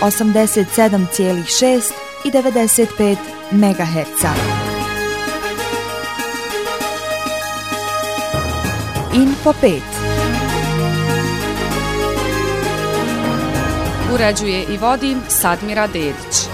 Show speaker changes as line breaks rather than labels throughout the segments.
87,6 i 95 MHz. Info 5.
Uređuje i vodi Sadmira Dedić.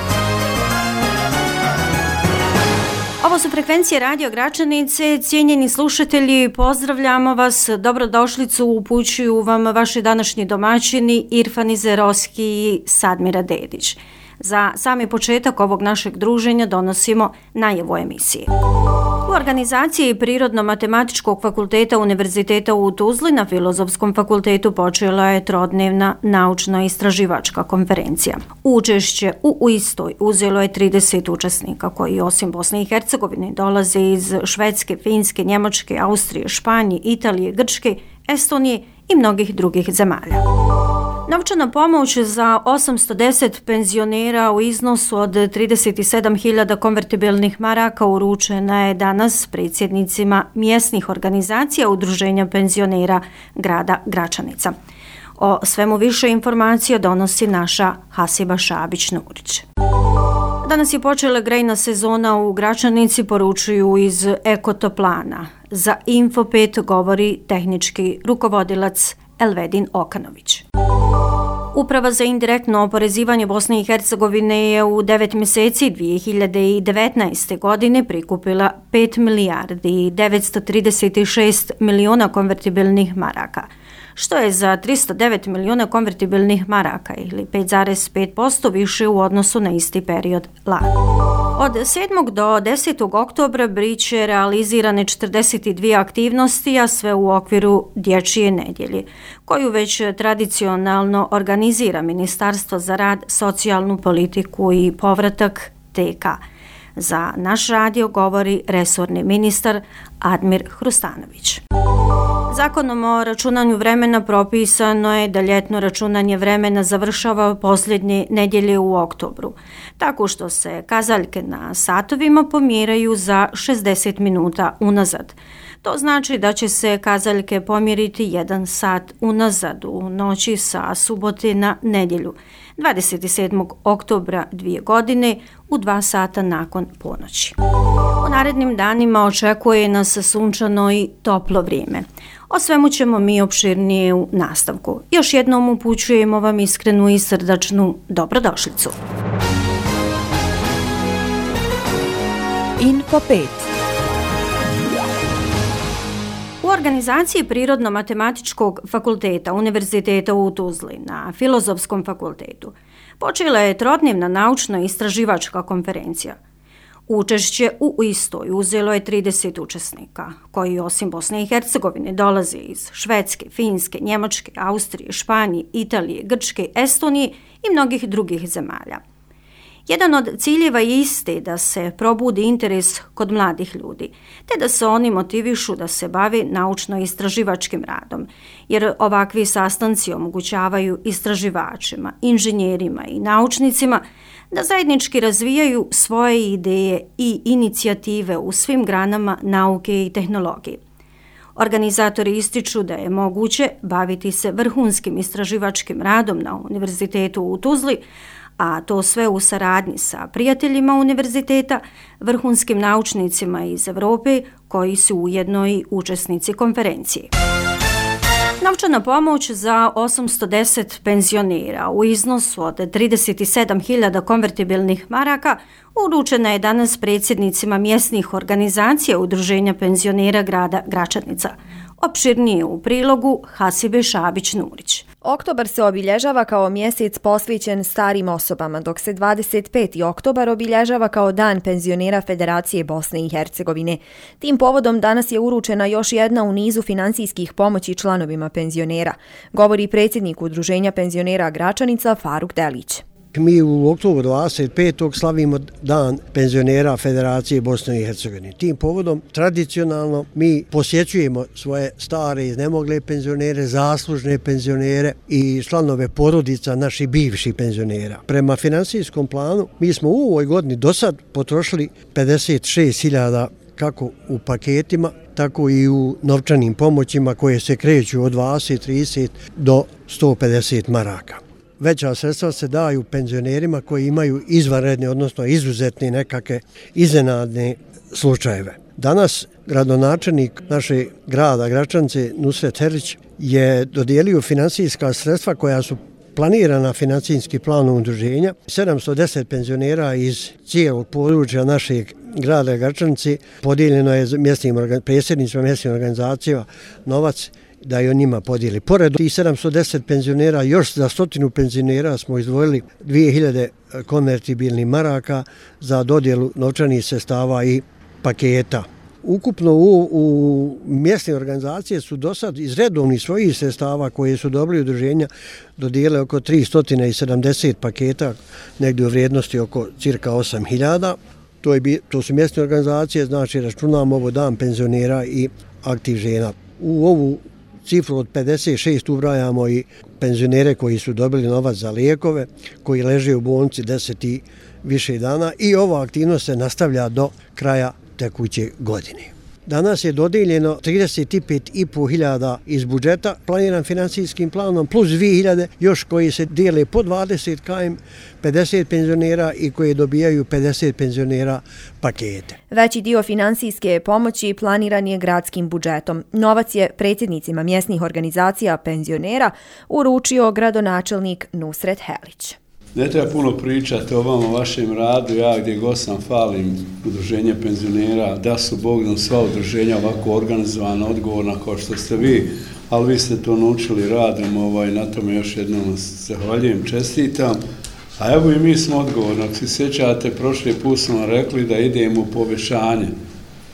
Ovo su frekvencije Radio Gračanice. Cijenjeni slušatelji, pozdravljamo vas. Dobrodošlicu upućuju vam vaši današnji domaćini Irfan Izerovski i Sadmira Dedić. Za sami početak ovog našeg druženja donosimo najavu emisije. U organizaciji Prirodno-matematičkog fakulteta Univerziteta u Tuzli na Filozofskom fakultetu počela je trodnevna naučno-istraživačka konferencija. Učešće u istoj uzelo je 30 učesnika koji osim Bosne i Hercegovine dolaze iz Švedske, Finske, Njemačke, Austrije, Španije, Italije, Grčke, Estonije i mnogih drugih zemalja. Novčana pomoć za 810 penzionera u iznosu od 37.000 konvertibilnih maraka uručena je danas predsjednicima mjesnih organizacija Udruženja penzionera grada Gračanica. O svemu više informacija donosi naša Hasiba Šabić-Nurić. Danas je počela grejna sezona u Gračanici, poručuju iz Ekotoplana. Za Info 5 govori tehnički rukovodilac Elvedin Okanović. Uprava za indirektno oporezivanje Bosne i Hercegovine je u 9 mjeseci 2019. godine prikupila 5 milijardi i 936 milijuna konvertibilnih maraka, što je za 309 milijuna konvertibilnih maraka ili 5,5% više u odnosu na isti period lani. Od 7. do 10. oktobra biće realizirane 42 aktivnosti, a sve u okviru Dječje nedjelje, koju već tradicionalno organizira Ministarstvo za rad, socijalnu politiku i povratak TK. Za naš radio govori resorni ministar Admir Hrustanović. Zakonom o računanju vremena propisano je da ljetno računanje vremena završava posljednje nedjelje u oktobru, tako što se kazaljke na satovima pomjeraju za 60 minuta unazad. To znači da će se kazaljke pomjeriti 1 sat unazad u noći sa subote na nedjelju, 27. oktobra 2 godine u 2 sata nakon ponoći. U narednim danima očekuje nas sunčano i toplo vrijeme. O svemu ćemo mi opširnije u nastavku. Još jednom upućujemo vam iskrenu i srdačnu dobrodošlicu.
Info 5.
U organizaciji Prirodno-matematičkog fakulteta Univerziteta u Tuzli na Filozofskom fakultetu počela je trodnevna naučno-istraživačka konferencija. Učešće u istoj uzelo je 30 učesnika, koji osim Bosne i Hercegovine dolaze iz Švedske, Finske, Njemačke, Austrije, Španije, Italije, Grčke, Estonije i mnogih drugih zemalja. Jedan od ciljeva je iste da se probudi interes kod mladih ljudi, te da se oni motivišu da se bave naučno-istraživačkim radom, jer ovakvi sastanci omogućavaju istraživačima, inženjerima i naučnicima da zajednički razvijaju svoje ideje i inicijative u svim granama nauke i tehnologije. Organizatori ističu da je moguće baviti se vrhunskim istraživačkim radom na Univerzitetu u Tuzli, a to sve u saradnji sa prijateljima univerziteta, vrhunskim naučnicima iz Europe koji su ujedno i učesnici konferencije. Novčana pomoć za 810 penzionera u iznosu od 37.000 konvertibilnih maraka uručena je danas predsjednicima mjesnih organizacija Udruženja penzionera grada Gračanica. Opširnije u prilogu Hasibe Šabić-Nurić.
Oktobar se obilježava kao mjesec posvećen starim osobama, dok se 25. oktobar obilježava kao Dan penzionera Federacije Bosne i Hercegovine. Tim povodom danas je uručena još jedna u nizu financijskih pomoći članovima penzionera, govori predsjednik Udruženja penzionera Gračanica Faruk Delić.
Mi u oktobru 25. slavimo Dan penzionera Federacije Bosne i Hercegovine. Tim povodom tradicionalno mi posjećujemo svoje stare iznemogle penzionere, zaslužne penzionere i članove porodica naših bivših penzionera. Prema financijskom planu mi smo u ovoj godini do sad potrošili 56.000 kako u paketima, tako i u novčanim pomoćima koje se kreću od 20, 30 do 150 maraka. veća sredstva se daju penzionerima koji imaju izvanredne, odnosno izuzetne nekakve iznenadne slučajeve. Danas gradonačelnik našeg grada Gračanice Nusret Herić je dodijelio financijska sredstva koja su planirana financijski planom udruženja. 710 penzionera iz cijelog područja našeg grada Gračanice podijeljeno je predsjednicima mjesnim organizacijama novac da i o njima podijeli. Pored tih 710 penzionera, još za 100 penzionera smo izdvojili 2000 konvertibilnih maraka za dodjelu novčanih sredstava i paketa. Ukupno u mjesne organizacije su do sad iz redovnih svojih sredstava koje su dobili udruženja dodijelile oko 370 paketa, negdje u vrijednosti oko cirka 8000. To su mjesne organizacije, znači računamo ovo dan penzionera i aktiv žena. U ovu cifru od 56 ubrajamo i penzionere koji su dobili novac za lijekove, koji leže u bolnici 10 i više dana i ova aktivnost se nastavlja do kraja tekuće godine. Danas je dodijeljeno 35.500 iz budžeta planiran financijskim planom plus 2.000 još koji se dijele po 20 km, 50 penzionera i koji dobijaju 50 penzionera pakete.
Veći dio financijske pomoći planiran je gradskim budžetom. Novac je predsjednicima mjesnih organizacija penzionera uručio gradonačelnik Nusret Herić.
Ne treba puno pričati o vama, o vašem radu, ja gdje god sam falim udruženje penzionera, da su Bog nam sva udruženja ovako organizovana, odgovorna kao što ste vi, ali vi ste to naučili radom, na tome još jednom zahvaljujem, čestitam. A evo i mi smo odgovorni, ako se sjećate, prošli put smo rekli da idemo u povećanje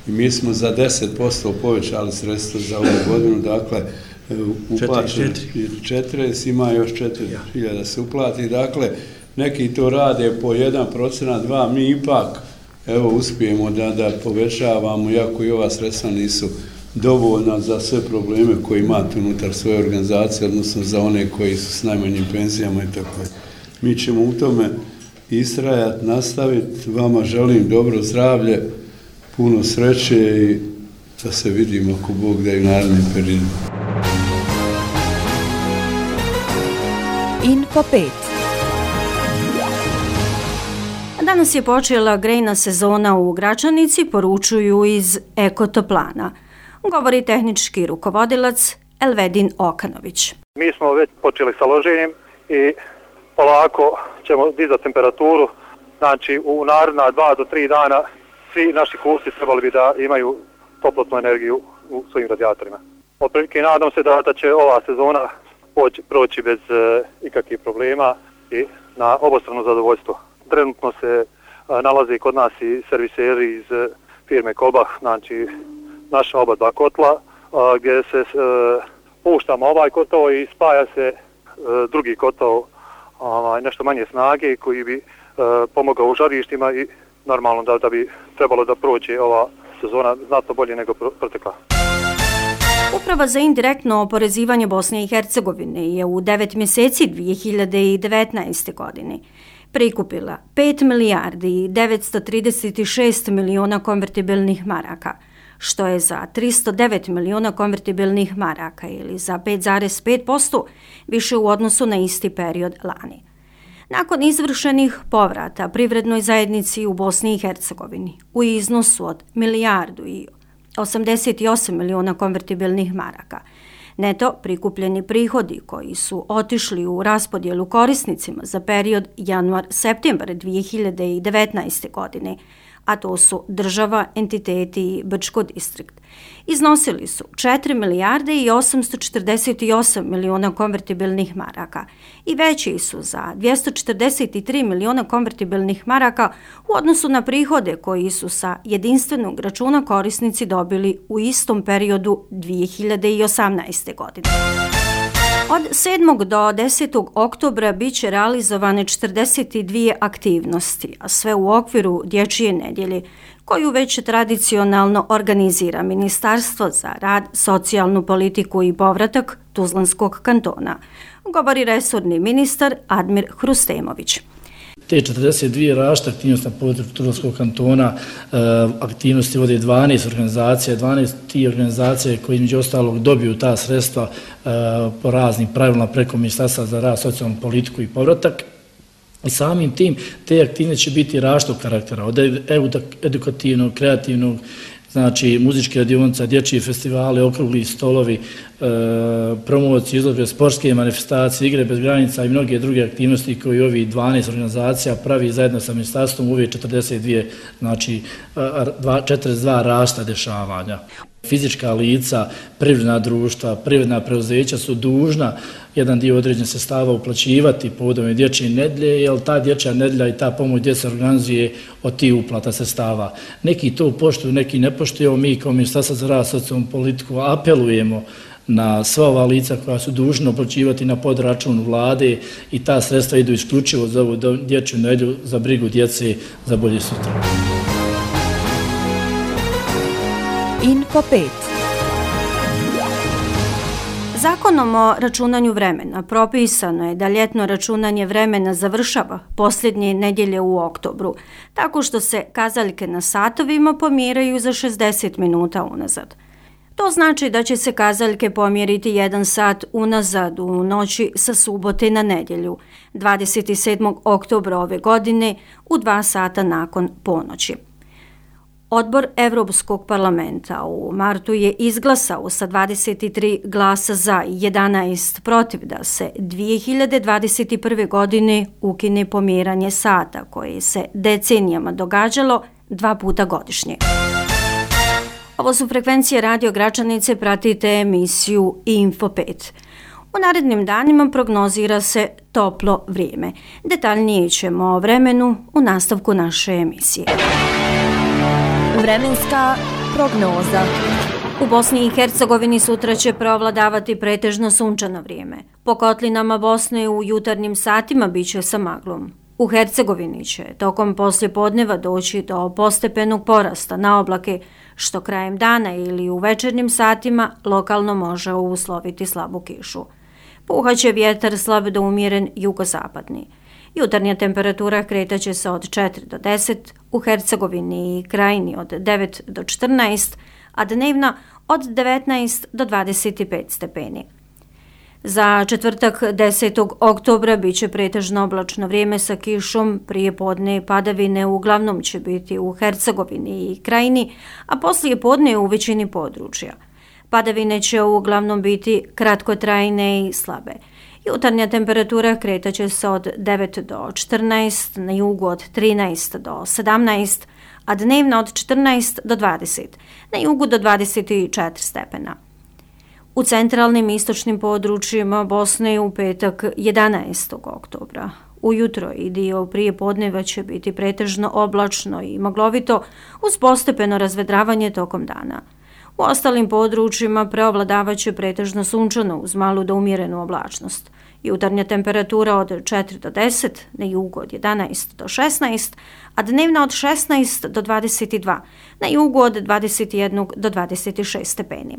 i mi smo za 10% povećali sredstva za ovu godinu, dakle, uplaćeno 40, ima još 4.000 se uplati, dakle neki to rade po 1%, 2%, mi ipak uspijemo da povećavamo, iako i ova sredstva nisu dovoljna za sve probleme koje imate unutar svoje organizacije, odnosno za one koji su s najmanjim penzijama i tako. Mi ćemo u tome istrajati, nastaviti, vama želim dobro zdravlje, puno sreće i da se vidimo ako Bog da i u narednim periodima.
Info 5.
Danas je počela grejna sezona u Gračanici, poručuju iz Ekotoplana. Govori tehnički rukovodilac Elvedin Okanović.
Mi smo već počeli sa loženjem i polako ćemo dizati temperaturu. Znači u naredna 2 do 3 dana svi naši kupci trebali bi da imaju toplotnu energiju u svojim radijatorima. Otprilike nadam se da će ova sezona proći bez ikakvih problema i na obostrano zadovoljstvo. Trenutno se nalaze kod nas i serviseri iz firme Kolbach, znači naša oba dva kotla, gdje se puštamo ovaj kotao i spaja se drugi kotao nešto manje snage koji bi pomogao u žarištima i normalno da bi trebalo da prođe ova sezona znatno bolje nego protekla.
Uprava za indirektno oporezivanje Bosne i Hercegovine je u 9 mjeseci 2019. godine prikupila 5 milijardi i 936 milijuna konvertibilnih maraka, što je za 309 milijuna konvertibilnih maraka ili za 5,5% više u odnosu na isti period lani. Nakon izvršenih povrata privrednoj zajednici u Bosni i Hercegovini u iznosu od milijardu i 88 milijuna konvertibilnih maraka, neto prikupljeni prihodi koji su otišli u raspodjelu korisnicima za period januar-septembar 2019. godine, a to su država, entiteti i Brčko distrikt, iznosili su 4 milijarde i 848 milijuna konvertibilnih maraka i veći su za 243 milijuna konvertibilnih maraka u odnosu na prihode koji su sa jedinstvenog računa korisnici dobili u istom periodu 2018. godine. Od 7. do 10. oktobra bit će realizovane 42 aktivnosti, a sve u okviru Dječje nedjelje, koju već tradicionalno organizira Ministarstvo za rad, socijalnu politiku i povratak Tuzlanskog kantona, govori resorni ministar Admir Hrustemović.
Te 42 različite aktivnosti na području Tuzlanskog kantona, aktivnosti vode 12 organizacija, 12 tih organizacija koje među ostalog dobiju ta sredstva po raznim pravilima preko Ministarstva za rad, socijalnu politiku i povratak. I samim tim te aktivnosti će biti različitog karaktera, od edukativnog, kreativnog, znači muzičke radionice, dječji festivali, okrugli stolovi, promocije, izložbe, sportske manifestacije, igre bez granica i mnoge druge aktivnosti koje ovi 12 organizacija pravi zajedno sa ministarstvom ove 42, znači 42 različita dešavanja. Fizička lica, privredna društva, privredna preuzeća su dužna jedan dio određenih sredstava uplaćivati povodom dječje nedjelje, jer ta dječja nedjelja i ta pomoć djece organizuje od tih uplata sredstava. Neki to poštuju, neki ne poštuju. Mi kao Ministarstvo za rad, socijalnu politiku apelujemo na sva ova lica koja su dužna uplaćivati na podračun vlade i ta sredstva idu isključivo za ovu dječju nedjelju, za brigu djece, za bolje sutra.
Info 5.
Zakonom o računanju vremena propisano je da ljetno računanje vremena završava posljednje nedjelje u oktobru, tako što se kazaljke na satovima pomjeraju za 60 minuta unazad. To znači da će se kazaljke pomjeriti 1 sat unazad u noći sa subote na nedjelju, 27. oktobra ove godine u 2 sata nakon ponoći. Odbor Europskog parlamenta u martu je izglasao sa 23 glasa za i 11 protiv da se 2021. godine ukine pomjeranje sata koje se decenijama događalo 2 puta godišnje. Ovo su frekvencije Radio Gračanice, pratite emisiju Info 5. U narednim danima prognozira se toplo vrijeme. Detaljnije ćemo o vremenu u nastavku naše emisije.
Vremenska prognoza.
U Bosni i Hercegovini sutra će preovladavati pretežno sunčano vrijeme. Po kotlinama Bosne u jutarnjim satima bit će sa maglom. U Hercegovini će tokom poslijepodneva doći do postepenog porasta na oblake, što krajem dana ili u večernjim satima lokalno može usloviti slabu kišu. Puhaće vjetar slab do umjeren jugozapadni. Jutarnja temperatura kretaće se od 4 do 10, u Hercegovini i Krajini od 9 do 14, a dnevno od 19 do 25 stepeni. Za četvrtak 10. oktobra bit će pretežno oblačno vrijeme sa kišom, prije podne padavine uglavnom će biti u Hercegovini i Krajini, a poslije podne u većini područja. Padavine će uglavnom biti kratkotrajne i slabe. Jutarnja temperatura kretaće se od 9 do 14, na jugu od 13 do 17, a dnevno od 14 do 20, na jugu do 24 stepena. U centralnim i istočnim područjima Bosne u petak 11. oktobra. Ujutro i dio prije podneva će biti pretežno oblačno i maglovito uz postepeno razvedravanje tokom dana. U ostalim područjima preovladavat će pretežno sunčano uz malu do umjerenu oblačnost. Jutarnja temperatura od 4 do 10, na jugu od 11 do 16, a dnevna od 16 do 22, na jugu od 21 do 26 stepeni.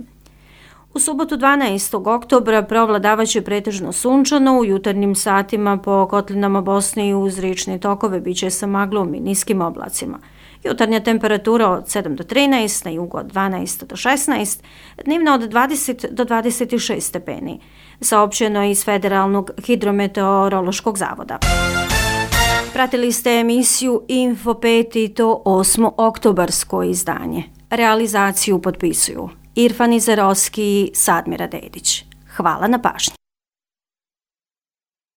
U subotu 12. oktobra preovladavat će pretežno sunčano, u jutarnjim satima po kotlinama Bosne i uz riječne tokove bit će sa maglom i niskim oblacima. Jutarnja temperatura od 7 do 13, na jugu od 12 do 16, dnevna od 20 do 26 stepeni. Saopćeno je iz Federalnog hidrometeorološkog zavoda. Pratili ste emisiju Info 5 i to 8. oktobarsko izdanje. Realizaciju potpisuju Irfan Izerovski i Sadmira Dedić. Hvala na pažnji.